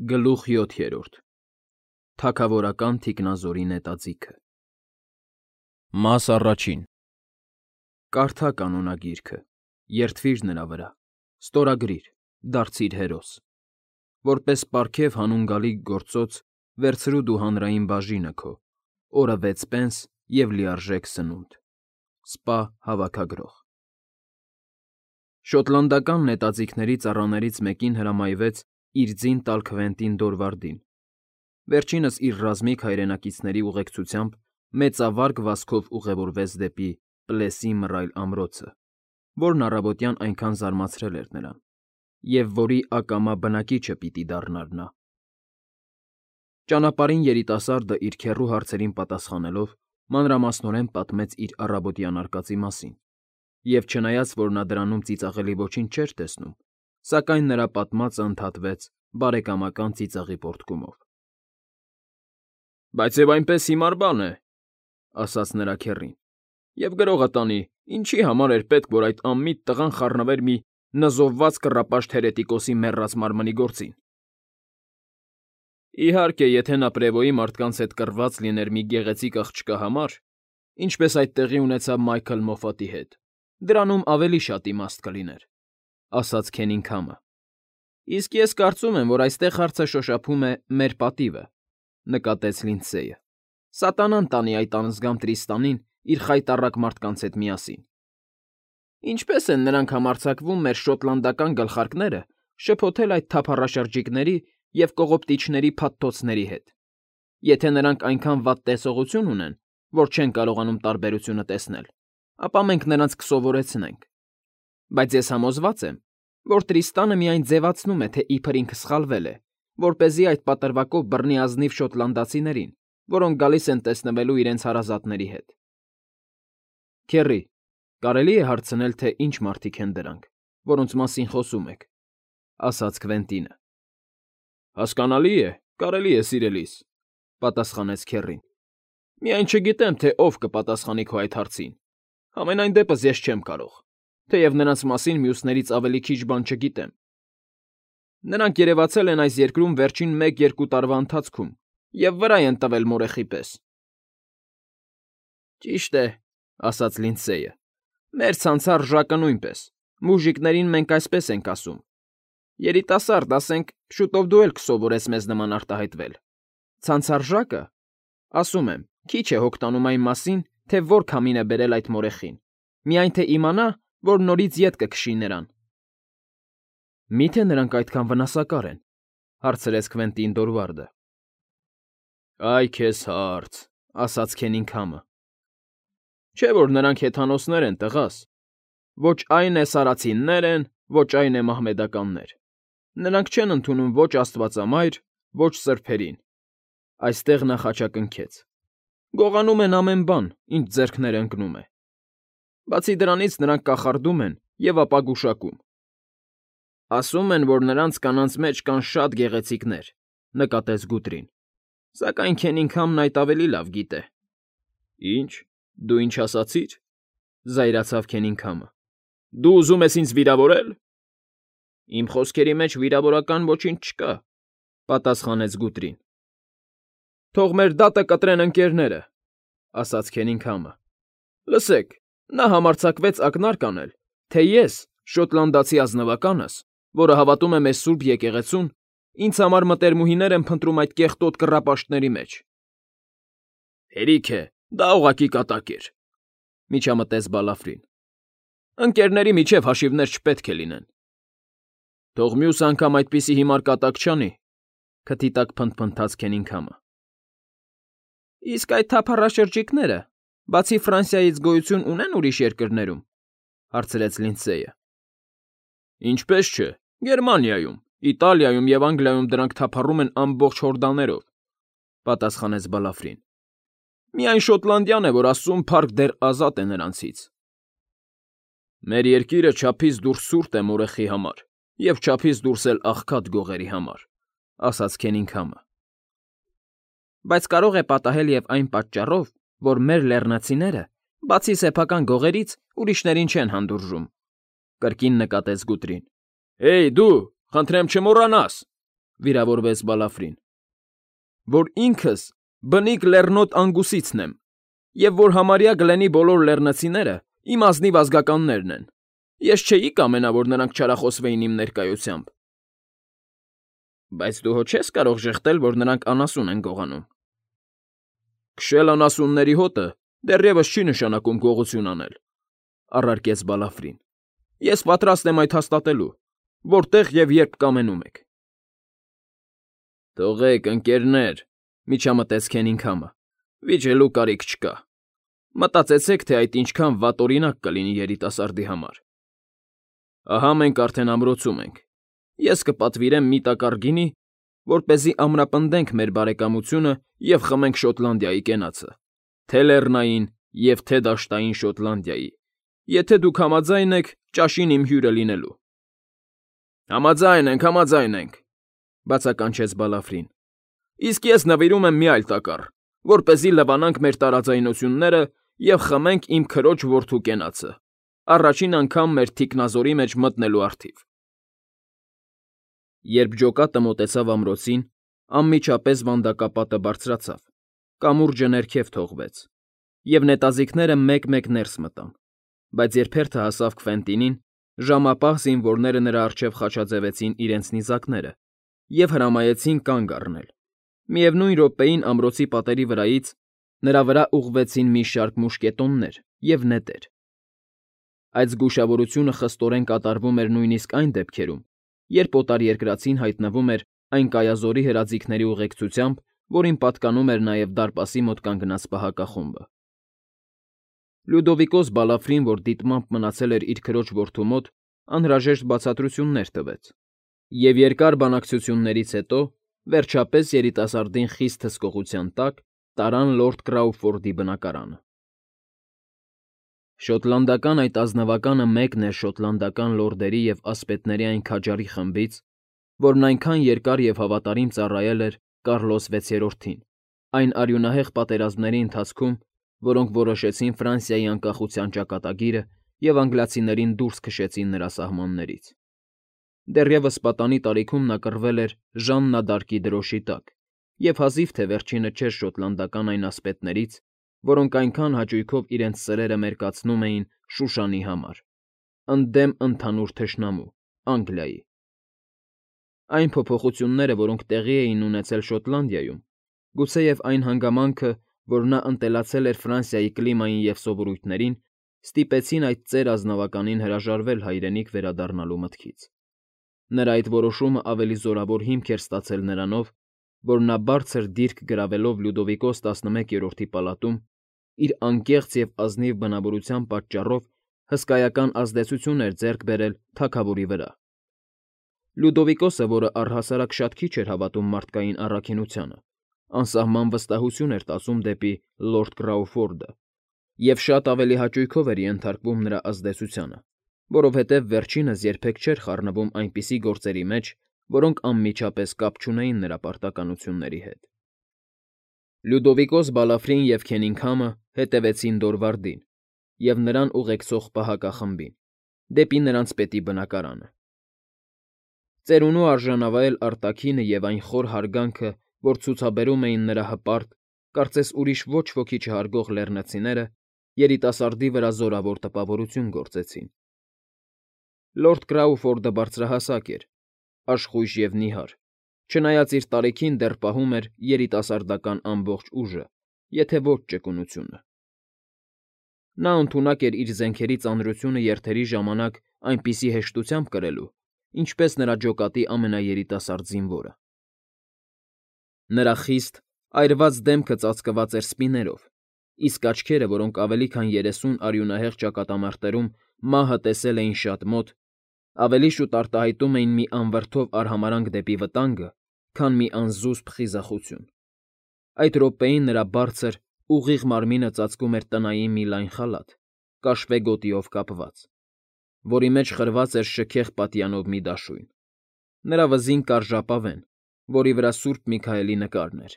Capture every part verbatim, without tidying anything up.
Գլուխ յոթերորդ Թագավորական թիկնազորի նետաձիգը Մաս առաջին Կարդա կանոնագիրքը, երդվիր նրա վրա, ստորագրիր, դարձիր հերոս, որպես պարգև հանուն գալիք գործոց վերցրու դու հանրային բաժինը քո, օրը վեց պենս և լիարժեք սնունդ, սպա հավաքագրող։ Շոտլանդական նետաձիգների ծառաներից մեկին հրամայվեց իր ձին տալ Քվենտին Դորվարդին, վերջինս իր ռազմիկ հայրենակիցների ուղեկցությամբ մեծավարգ վազքով ուղևորվեց դեպի Պլեսի մռայլ ամրոցը, որն առավոտյան այնքան զարմացրել էր նրան, և որի ակամա բնակիչը պիտի դառնար նա։ Ճանապարհին երիտասարդը իր քեռու հարցերին պատասխանելով մանրամասնորեն պատմեց իր առավոտյան արկածի մասին, և չնայած որ նա դրանում ծիծաղելի ոչինչ չէր տեսնում, սակայն նրա պատմածը ընդհատվեց բարեկամական ծիծաղի պոռթկումով։ ֊ Բայց և այնպես հիմար բան է,֊ ասաց նրա քեռին,֊ և գրողը տանի, ինչի համար էր պետք, որ այդ անմիտ տղան խառնվեր մի նզովված կռապաշտ հերետիկոսի մեռած մարմնի գործին։ Իհարկե, եթե նա Պրևոյի մարդկանց հետ կռված լիներ մի գեղեցիկ աղջկա համար, ինչպես այդ տեղի ունեցավ Մայքլ Մոֆատի հետ, դրանում ավելի շատ իմաստ կլիներ,֊ ասաց Քենինգհամը։ Իսկ ես կարծում եմ, որ այստեղ հարցը շոշափում է մեր պատիվը,֊ նկատեց Լինդսեյը։ Սատանան տանի այդ անզգամ Տրիստանին իր խայտառակ մարդկանց հետ միասին։ Ինչպե՞ս են նրանք համարձակվում մեր շոտլանդական գլխարկները շփոթել այդ թափառաշրջիկների և կողոպտիչների փաթթոցների հետ, եթե նրանք այնքան վատ տեսողություն ունեն, որ չեն կարողանում տարբերությունը տեսնել, ապա մենք նրանց կսովորեցնենք։ Բայց ես համոզված եմ, որ Տրիստանը միայն ձևացնում է, թե իբր ինքը սխալվել է, որպեսզի այդ պատրվակով բռնի ազնիվ շոտլանդացիներին, որոնք գալիս են տեսնվելու իրենց հարազատների հետ։ Քեռի, կարելի է հարցնել, թե ինչ մարդիկ են դրանք, որոնց մասին խոսում եք,֊ ասաց Քվենտինը։ Հասկանալի է, կարելի է, սիրելիս,֊ պատասխանեց քեռին։ Միայն չգիտեմ, թե ով կպատասխանի քո այդ հարցին, համենայն դեպս ես չեմ կարող, թեև նրանց մասին մյուսներից ավելի քիչ բան չգիտեմ։ Նրանք երևացել են այս երկրում վերջին մեկ֊երկու տարվա ընթացքում և վրայ են տվել մորեխի պես։ Ճիշտ է,֊ ասաց Լինդսեյը,֊ մեր ցանցառ նույնպես, մուժիկներին մենք այսպես ենք ասում։ Երիտասարդ, ասենք, շուտով դու էլ կսովորես մեզ նման արտահայտվել։ Ցանցառ, ասում եմ, քիչ է հոգ տանում այն մասին, թե որ քամին է բերել այդ մորեխին, միայն թե իմանա, որ նորից ետ կքշի նրան։ Մի՞թե նրանք այդքան վնասակար են,֊ հարցրեց Քվենտին Դորվարդը։ Այ քեզ հարց,֊ ասաց Քենինգհամը։ Չէ՞ որ նրանք հեթանոսներ են, տղաս։ Ոչ այն է սարացիններ են, ոչ այն է մահմեդականներ։ Նրանք չեն ընդունում ոչ աստվածամայր, ոչ սրբերին։ Այստեղ նա խաչակնքեց։ Գողանում են ամեն բան, ինչ ձեռքները ընկնում է։ Բացի դրանից նրանք կախարդում են և ապա գուշակում։ Ասում են, որ նրանց կանանց մեջ կան շատ գեղեցիկներ,֊ նկատեց Գուտրին։ Սակայն Քենինգհամն այդ ավելի լավ գիտե։ Ինչ, դու ինչ ասացիր,֊ զայրացավ Քենինգհամը։ Դու ուզում ես ինձ վիրավորել։ Իմ խոսքերի մեջ վիրավորական ոչինչ չկա,֊ պատասխանեց Գուտրին։ Թող մեր դատը կտրեն ընկերները,֊ ասաց Քենինգհամը։ Լսեք, նա համարձակվեց ակնարկ անել, թե ես, շոտլանդացի ազնվականս, որը հավատում է մեզ սուրբ եկեղեցուն, ինձ համար մտերմուհիներ եմ փնտրում այդ կեղտոտ կռապաշտների մեջ։ Հերիք է, դա ուղղակի կատակ էր,֊ միջամտեց Բալաֆրին։ Ընկերների միջև հաշիվներ չպետք է լինեն։ Թող մյուս անգամ այդպիսի հիմար կատակ չանի,֊ քթի տակ փնթփնթաց Քենինգհամը։ Իսկ այդ թափառաշրջիկները, բացի Ֆրանսիայից գոյություն ունեն ուրիշ երկրներում,֊ հարցրեց Լինդսեյը։ Ինչպես չէ, Գերմանիայում, Իտալիայում և Անգլիայում դրանք թափառում են ամբողջ հորդաներով,֊ պատասխանեց Բալաֆրին։ Միայն Շոտլանդիան է, որ ասում փառք դեռ ազատ է նրանցից։ Մեր երկիրը չափից դուրս սուրտ է մորեխի համար և չափից դուրս էլ աղքատ գողերի համար,֊ ասաց Քենինգհամը։ Բայց կարող է պատահել և այն պատճառով, որ մեր լեռնացիները, բացի սեփական գողերից, ուրիշներին չեն հանդուրժում,֊ կրկին նկատեց Գուտրին։ Հեյ, դու, խնդրեմ չմոռանաս,֊ վիրավորվեց Բալաֆրին, որ ինքս բնիկ լեռնոտ անգուսիցն եմ, և որ համարյա Գլենի բոլոր լեռնցիները իմ ազնիվ ազգականներն են. ես չէի կամենա, որ նրանք չարախոսվեին իմ ներկայությամբ։ Բայց դու հո չես կարող ժխտել, որ նրանք անասուն են գողանում։ Քշել անասունների հոտը դեռևս չի նշանակում գողություն անել, առարկեց Բալաֆրին։ Ես պատրաստ եմ այդ հաստատելու, որտեղ և երբ կամենում եք։ Թողեք, ընկերներ, միջամտեց Քենինգհամը, վիճելու կարիք չկա։ Մտածեցեք, թե այդ ինչքան վատօրինակ կլինի երիտասարդի համար։ Ահա մենք արդեն ամրոցում ենք։ Ես կպատվիրեմ մի տակառ գինի, որպեսզի ամրապնդենք մեր բարեկամությունը և խմենք Շոտլանդիայի կենացը, թե լեռնային և թե դաշտային Շոտլանդիայի, եթե դուք համաձայն եք ճաշին իմ հյուրը լինելու։ Համաձայն ենք, համաձայն ենք, բացականչեց Բալաֆրին։ Իսկ ես նվիրում եմ մի այլ տակառ, որպեսզի լվանանք մեր տարաձայնությունները և խմենք իմ քրոջ որդու կենացը, առաջին անգամ մեր թիկնազորի մեջ մտնելու առթիվ։ Երբ ջոկատը մոտեցավ ամրոցին, անմիջապես վանդակապատը բարձրացավ, կամուրջը ներքև թողվեց, և նետաձիգները մեկ֊մեկ ներս մտան, բայց երբ հերթը հասավ Քվենտինին, ժամապահ զինվորները նրա առջև խաչաձևեցին իրենց նիզակները և հրամայեցին կանգ առնել։ Միևնույն րոպեին ամրոցի պատերի վրայից նրա վրա ուղղվեցին մի շարք մուշկետոններ և նետեր։ Այդ զգուշավորությունը խստորեն կատարվում էր նույնիսկ այն դեպքերում, երբ օտարերկրացին հայտնվում էր այն կայազորի հրաձիգների ուղեկցությամբ, որին պատկանում էր նաև դարպասի մոտ կանգնած պահակախումբը։ Լյուդովիկոս Բալաֆրին, որ դիտմամբ մնացել էր իր քրոջ որդու մոտ, անհրաժեշտ բացատրություններ տվեց, և երկար բանակցություններից հետո, վերջապես երիտասարդին խիստ հսկողության տակ տարան լորդ Կրաուֆորդի բնակարանը։ Շոտլանդական այդ ազնվականը մեկն էր շոտլանդական լորդերի և ասպետների այն քաջարի խմբից, որն այնքան երկար և հավատարիմ ծառայել էր Կարլոս վեցերորդին այն արյունահեղ պատերազմների ընթացքում, որոնք որոշեցին Ֆրանսիայի անկախության ճակատագիրը և անգլիացիներին դուրս քշեցին նրա սահմաններից։ Դեռևս պատանի տարիքում նա կռվել էր Ժաննա դ'Արկի դրոշի տակ և հազիվ թե վերջինը չէր շոտլանդական այն ասպետներից, որոնք այնքան հաճույքով իրենց սրերը մերկացնում էին Շուշանի համար, ընդդեմ ընդհանուր թշնամու՝ Անգլիայի։ Այն փոփոխությունները, որոնք տեղի էին ունեցել Շոտլանդիայում, գուցեև այն հանգամանքը, որ նա ընտելացել էր Ֆրանսիայի կլիմային և սովորույթներին, ստիպեցին այդ ծեր ազնվականին հրաժարվել հայրենիք վերադառնալու մտքից։ Նրա այդ որոշումը ավելի զորավոր հիմք էր ստացել նրանով, որ նա բարձր դիրք գրավելով Լյուդովիկոս տասնմեկերորդի պալատում իր անկեղծ և ազնիվ բնավորության պատճառով հսկայական ազդեցություն էր ձեռք բերել թագավորի վրա։ Լյուդովիկոսը, որը առհասարակ շատ քիչ էր հավատում մարդկային առաքինությանը, անսահման վստահություն էր տածում դեպի լորդ Կրաուֆորդը և շատ ավելի հաճույքով էր ենթարկվում նրա ազդեցությանը, որովհետև վերջինս երբեք չէր խառնվում այնպիսի գործերի մեջ, որոնք անմիջապես կապ չունեին նրա պարտականությունների հետ։ Լյուդովիկոս Բալաֆրին և Քենինգհամը հետևեցին Դորվարդին և նրան ուղեկցող պահակախմբին, դեպի նրանց պետի բնակարանը։ Ծերունու արժանավայել արտաքինը և այն խոր հարգանքը, որ ցուցաբերում էին նրա հպարտ, կարծես ուրիշ ոչ ոքի չհարգող լեռնցիները, երիտասարդի վրա զորավոր տպավորություն գործեցին։ Լորդ Կրաուֆորդը բարձրահասակ էր, աշխույժ և նիհար, չնայած իր տարիքին դեռ պահում էր երիտասարդական ամբողջ ուժը, եթե ոչ ճկունությունը։ Նա ընդունակ էր իր զենքերի ծանրությունը երթերի ժամանակ այնպիսի հեշտությամբ կրելու, ինչպես նրա ջոկատի ամենաերիտասարդ զինվորը։ Նրա խիստ, այրված դեմքը ծածկված էր սպիներով, իսկ աչքերը, որոնք ավելի քան երեսուն արյունահեղ ճակատամարտերում մահը տեսել էին շատ մոտ, ավելի շուտ արտահայտում էին մի անվրդով արհամարհանք դեպի վտանգը, քան մի անզուսպ խիզախություն։ Այդ րոպեին նրա բարձր, ուղիղ մարմինը ծածկում էր տնային մի լայն խալաթ, կաշվե գոտիով կապված, որի մեջ խրված էր շքեղ պատյանով մի դաշույն։ Նրա վզին կար ժապավեն, որի վրա Սուրբ Միքայելի նկարն էր։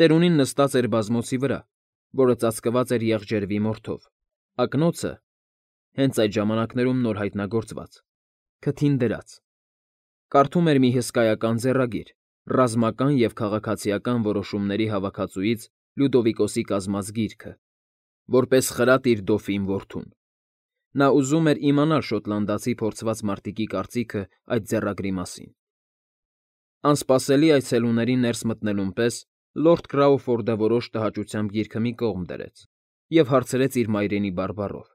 Ծերունին նստած էր բազմոցի վրա, որը ծածկված էր եղջերվի մորթով, ակնոցը (հենց այդ ժամանակներում նոր հայտնագործված) քթին դրած։ Կարդում էր մի հսկայական ձեռագիր, ռազմական և քաղաքացիական որոշումների հավաքածուից Լյուդովիկոսի կազմած գիրքը, որպես խրատ իր դոֆին որդուն։ Նա ուզում էր իմանալ շոտլանդացի փորձված մարտիկի կարծիքը այդ ձեռագրի մասին։ Անսպասելի այցելուների ներս մտնելուն պես լորդ Քրաուֆորդը որոշ տհաճությամբ գիրքը մի կողմ դրեց և հարցրեց իր մայրենի բարբառով.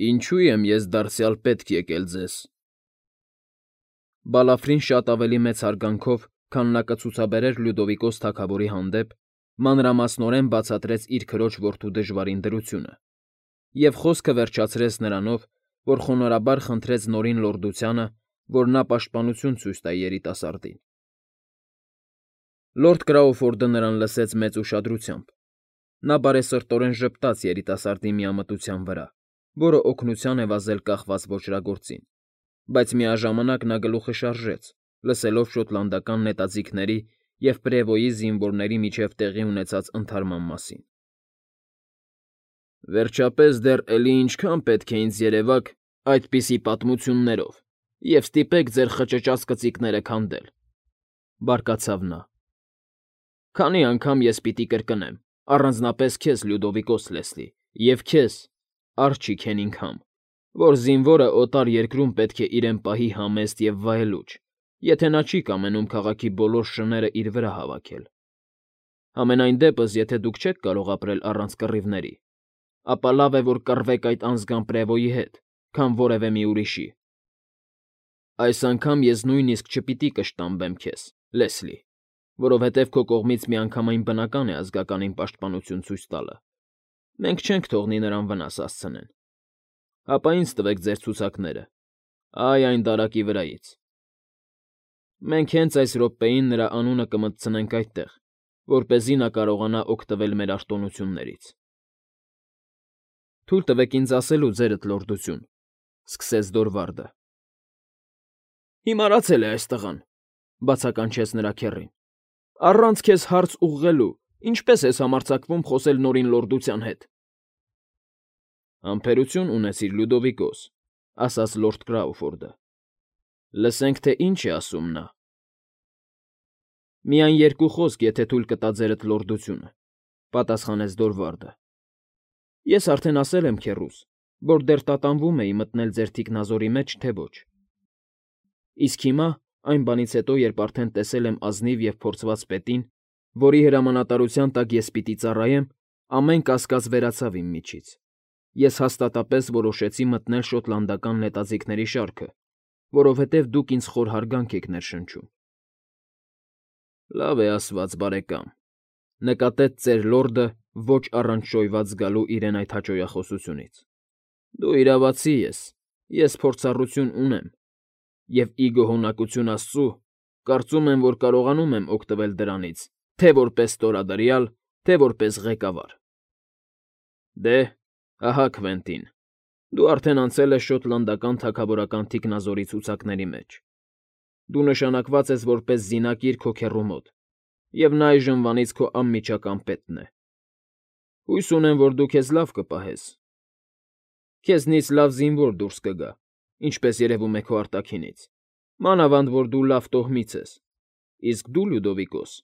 «Ինչո՞ւ եմ ես դարձյալ պետք եկել ձեզ»։ Բալաֆրին շատ ավելի մեծ հարգանքով, քան նա կցուցաբերեր Լյուդովիկոս թագավորի հանդեպ, մանրամասնորեն բացատրեց իր քրոջ որդու դժվարին դրությունը և խոսքը վերջացրեց նրանով, որ խոնարհաբար խնդրեց Նորին լորդությանը, որ նա պաշտպանություն ցույց տա երիտասարդին։ Լորդ Քրաուֆորդը նրան լսեց մեծ ուշադրությամբ։ Նա բարեսրտորեն ժպտաց երիտասարդի միամտության վրա, որը օգնության է վազել կախված ոճրագործին, բայց միաժամանակ նա գլուխը շարժեց, լսելով շոտլանդական նետաձիգների և Պրևոյի զինվորների միջև տեղի ունեցած ընդհարման մասին։ «Վերջապես դեռ էլի ինչքա՞ն պետք է ինձ երևաք այդպիսի պատմություններով և ստիպեք ձեր խճճած կծիկները քանդել,֊ բարկացավ նա։֊ Քանի անգամ ես պիտի կրկնեմ, առանձնապես քեզ, Լյուդովիկոս Լեսլի, և քեզ, Արջի Քենինգհամ, որ զինվորը օտար երկրում պետք է իրեն պահի համեստ և վայելուչ, եթե նա չի կամենում քաղաքի բոլոր շները իր վրա հավաքել։ Համենայն դեպս, եթե դուք չեք կարող ապրել առանց կռիվների, ապա լավ է, որ կռվեք այդ անձգան Պրևոյի հետ, քան որևէ մի ուրիշի։ Այս անգամ ես նույնիսկ չպիտի կշտամբեմ քեզ, Լեսլի, որովհետև քո կողմից միանգամայն բնական է ազգականին պաշտպանություն ցույց տալը։ Մենք չենք թողնի նրան վնաս հասցնեն։ Հապա ինձ տվեք ձեր ցուցակները, այ այն դարակի վրայից։ Մենք հենց այս րոպեին նրա անունը կմտցնենք այդտեղ, որպեսզի նա կարողանա օգտվել մեր արտոնություններից։ Թույլ տվեք ինձ ասելու, ձերդ լորդություն,֊ սկսեց Դորվարդը։ Հիմարացել է այս տղան,֊ բացականչեց նրա քեռին։ Առանց քեզ հարց ուղղելու ինչպե՞ս ես համարձակվում խոսել Նորին լորդության հետ։ Համբերություն ունեցիր, Լյուդովիկոս,֊ ասաց լորդ Քրաուֆորդը։ Լսենք, թե ինչ է ասում նա։ Միայն երկու խոսք, եթե թույլ կտա ձերդ լորդությունը,֊ պատասխանեց Դորվարդը։ Ես արդեն ասել եմ քեռուս, որ դեռ տատանվում էի մտնել ձեր թիկնազորի մեջ, թե ոչ։ Իսկ հիմա, այն բանից հետո, երբ արդեն տեսել եմ ազնիվ և փորձված պետին, որի հրամանատարության տակ ես պիտի ծառայեմ, ամեն կասկած վերացավ իմ միջից։ Ես հաստատապես որոշեցի մտնել շոտլանդական նետաձիգների շարքը, որովհետև դուք ինձ խոր հարգանք եք ներշնչում։ Լավ է ասված, բարեկամ,֊ նկատեց ծեր լորդը ոչ առանց շոյված զգալու իրեն այդ հաճոյախոսությունից։ Դու իրավացի ես, ես փորձառություն ունեմ, և, ի գոհունակություն Աստծու, կարծում եմ, որ կարողանում եմ օգտվել դրանից թե՛ որպես ստորադրյալ, թե՛ որպես ղեկավար։ Դե, ահա Քվենտին, դու արդեն անցել ես շոտլանդական թագավորական թիկնազորի ցուցակների մեջ։ Դու նշանակված ես որպես զինակիր քո քեռու մոտ, և նա այժմվանից քո անմիջական պետն է։ Հույս ունեմ, որ դու քեզ լավ կպահես։ Քեզնից լավ զինվոր դուրս կգա, ինչպես երևում է քո արտաքինից, մանավանդ որ դու լավ տոհմից ես։ Իսկ դու, Լյուդովիկոս,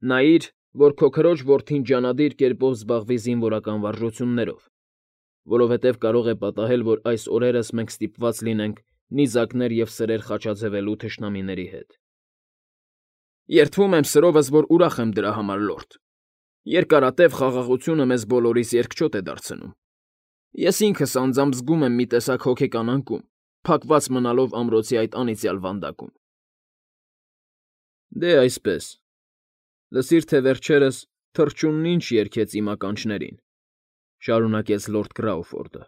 նայիր, որ քո քրոջ որդին ջանադիր կերպով զբաղվի զինվորական վարժություններով, որովհետև կարող է պատահել, որ այս օրերս մենք ստիպված լինենք նիզակներ և սրեր խաչաձևելու թշնամիների հետ։ Երդվում եմ սրովս, որ ուրախ եմ դրա համար, լորդ։ Երկարատև խաղաղությունը մեզ բոլորիս երկչոտ է դարձնում։ Ես ինքս անձամբ զգում եմ մի տեսակ հոգեկան անկում, փակված մնալով ամրոցի այդ անիծյալ վանդակում։ Դե, այսպես, լսիր, թե վերջերս թռչունն ինչ երգեց իմ ականջներին,֊ շարունակեց լորդ Քրաուֆորդը։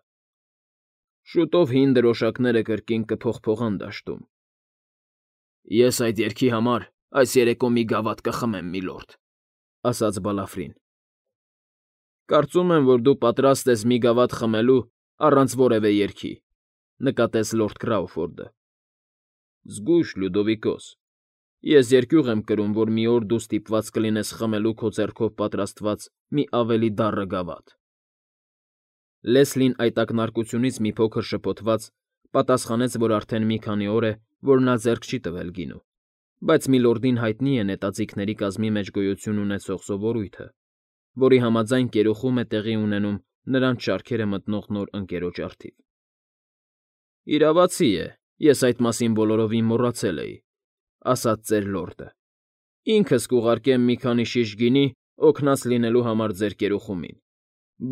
Շուտով հին դրոշակները կրկին կփողփողան դաշտում։ Ես այդ երգի համար այս երեկո մի գավաթ կխմեմ, միլորդ,֊ ասաց Բալաֆրին։ Կարծում եմ, որ դու պատրաստ ես մի գավաթ խմելու առանց որևէ երգի,֊ նկատեց լորդ Քրաուֆորդը։ Զգույշ, Լյուդովիկոս, ես երկյուղ եմ կրում, որ մի օր դու ստիպված կլինես խմելու քո ձեռքով պատրաստված մի ավելի դառը գավաթ։ Լեսլին այդ ակնարկությունից մի փոքր շփոթված պատասխանեց, որ արդեն մի քանի օր է, որ նա ձեռք չի տվել գինու, բայց Միլորդին հայտնի է նետաձիգների կազմի մեջ գոյություն ունեցող սովորույթը, որի համաձայն կերուխում է տեղի ունենում նրանց շարքերը մտնող նոր ընկերոջ առթիվ։ ֊ Իրավացի է, ես այդ մասին բոլորովին մոռացել էի,֊ ասաց ծեր լորդը։ Ինքս կուղարկեմ մի քանի շիշ գինի օգնած լինելու համար ձեր կերուխումին,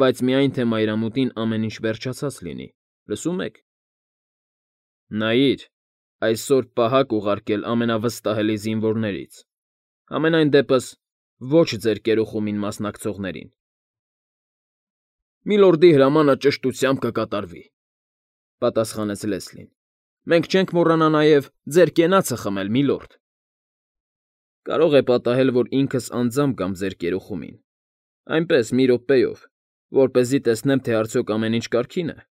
բայց միայն թե մայրամուտին ամեն ինչ վերջացած լինի, լսում եք։ ֊ Նայիր, այսօր պահակ ուղարկել ամենավստահելի զինվորներից, համենայն դեպս ոչ ձեր կերուխումին մասնակցողներին։ ֊ Միլորդի հրամանը ճշտությամբ կկատարվի,֊ պատասխանեց Լեսլին։ Մենք չենք մոռանա նաև ձեր կենացը խմել, միլորդ։ ֊ Կարող է պատահել, որ ինքս անձամբ գամ ձեր կերուխումին, այնպես մի րոպեով, որպեսզի տեսնեմ, թե արդյոք ամեն ինչ կարգին է։ ֊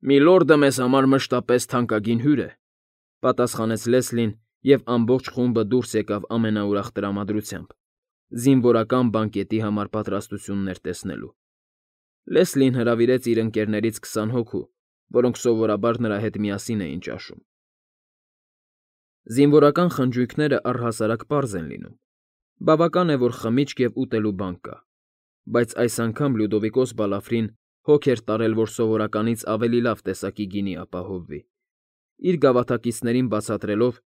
Միլորդը մեզ համար մշտապես թանկագին հյուր է,֊ պատասխանեց Լեսլին, և ամբողջ խումբը դուրս եկավ ամենաուրախ տրամադրությամբ, զինվորական բանկետի համար պատրաստություններ տեսնելու։ Լեսլին հրավիրեց իր ընկերներից քսան հոգու, որոնք սովորաբար նրա հետ միասին էին ճաշում։ Զինվորական խնջույքները առհասարակ պարզ են լինում, բավական է, որ խմիչք և ուտելու բան կա, բայց այս անգամ Լյուդովիկոս Բալաֆրին հոգ էր տարել, որ սովորականից ավելի լավ տեսակի գինի ապահովվի, իր գավաթակիցներին բացատրելով,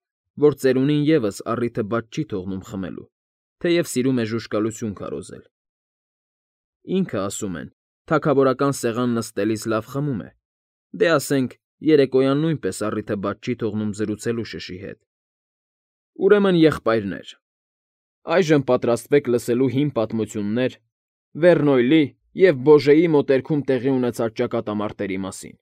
որ ծերունին ևս առիթը բաց չի թողնում խմելու, թեև սիրում է ժուժկալություն քարոզել։ Ինքը, ասում են, թագավորական սեղան նստելիս լավ խմում է, դե ասենք, երեկոյան նույնպես առիթը բաց չի թողնում զրուցելու շշի հետ։ Ուրեմն, եղբայրներ, այժմ պատրաստվեք լսելու հին պատմություններ Վերնոյլի և Բոժեի մոտերքում տեղի ունեցած ճակատամարտերի մասին։